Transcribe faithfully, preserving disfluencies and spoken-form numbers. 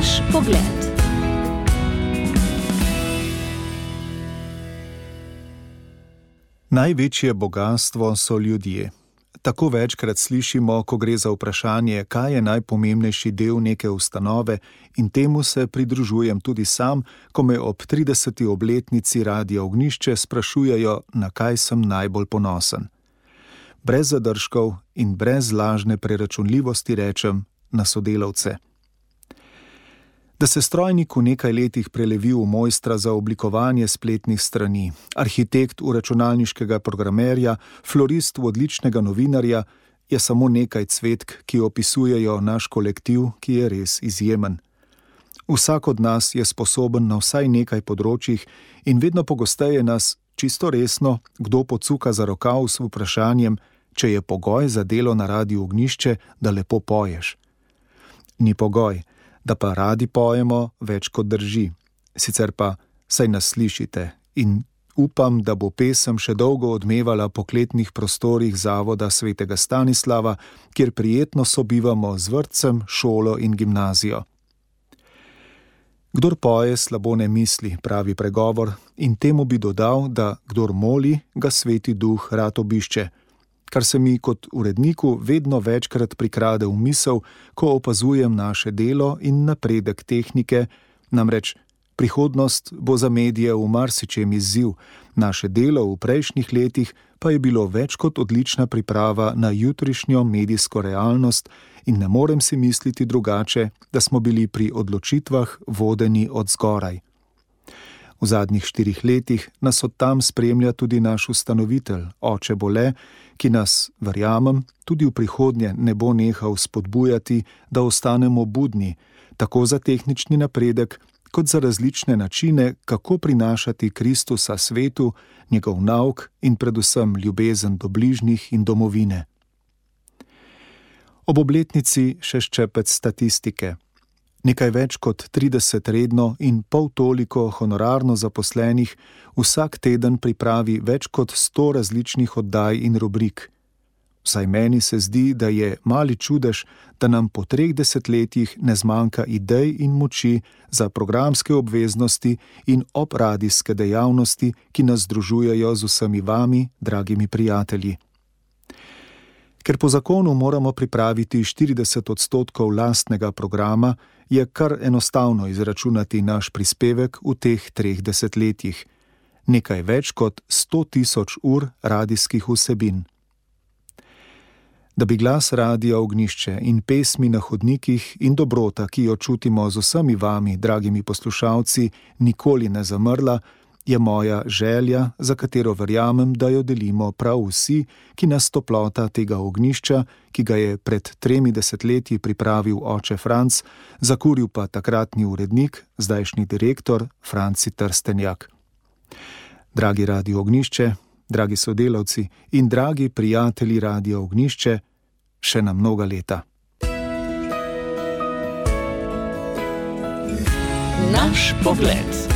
Naš pogled. Največje bogastvo so ljudje. Tako večkrat slišimo, ko gre za vprašanje, kaj je najpomembnejši del neke ustanove, in temu se pridružujem tudi sam, ko me ob trideseti obletnici Radia Ognjišče sprašujejo, na kaj sem najbolj ponosen. Brez zadržkov in brez lažne preračunljivosti rečem na sodelavce. Da se strojnik v nekaj letih prelevi v mojstra za oblikovanje spletnih strani, arhitekt v računalniškega programerja, florist v odličnega novinarja, je samo nekaj cvetk, ki opisujejo naš kolektiv, ki je res izjemen. Vsak od nas je sposoben na vsaj nekaj področjih in vedno pogosteje nas, čisto resno, kdo pocuka za rokav s vprašanjem, če je pogoj za delo na Radiu Ognjišče, da lepo poješ. Ni pogoj, da pa radi pojemo, več kot drži. Sicer pa saj nas slišite in upam, da bo pesem še dolgo odmevala po kletnih prostorih Zavoda svetega Stanislava, kjer prijetno sobivamo z vrtcem, šolo in gimnazijo. Kdor poje, slabo ne misli, pravi pregovor, in temu bi dodal, da kdor moli, ga Sveti Duh rad obišče, kar se mi kot uredniku vedno večkrat prikrade v misel, ko opazujem naše delo in napredek tehnike, namreč prihodnost bo za medije v marsičem izziv, naše delo v prejšnjih letih pa je bilo več kot odlična priprava na jutrišnjo medijsko realnost in ne morem si misliti drugače, da smo bili pri odločitvah vodeni od zgoraj. V zadnjih štirih letih nas od tam spremlja tudi naš ustanovitelj, oče Bole, ki nas, verjamem, tudi v prihodnje ne bo nehal spodbujati, da ostanemo budni, tako za tehnični napredek, kot za različne načine, kako prinašati Kristusa svetu, njegov nauk in predvsem ljubezen do bližnjih in domovine. Ob obletnici še ščepec statistike. Nekaj več kot trideset redno in pol toliko honorarno zaposlenih vsak teden pripravi več kot sto različnih oddaj in rubrik. Vsaj meni se zdi, da je mali čudež, da nam po treh desetletjih ne zmanjka idej in moči za programske obveznosti in obradijske dejavnosti, ki nas združujejo z vsemi vami, dragimi prijatelji. Ker po zakonu moramo pripraviti štirideset odstotkov lastnega programa, je kar enostavno izračunati naš prispevek v teh treh desetletjih. Nekaj več kot sto tisoč ur radijskih vsebin. Da bi glas Radia Ognjišče in pesmi na hodnikih in dobrota, ki jo čutimo z vsemi vami, dragimi poslušalci, nikoli ne zamrla, je moja želja, za katero verjamem, da jo delimo prav vsi, ki nas toplota tega ognjišča, ki ga je pred tremi desetletji pripravil oče Franc, zakuril pa takratni urednik, zdajšnji direktor Franci Trstenjak. Dragi Radio Ognjišče, dragi sodelavci in dragi prijatelji Radia Ognjišče, še na mnoga leta. Naš pogled.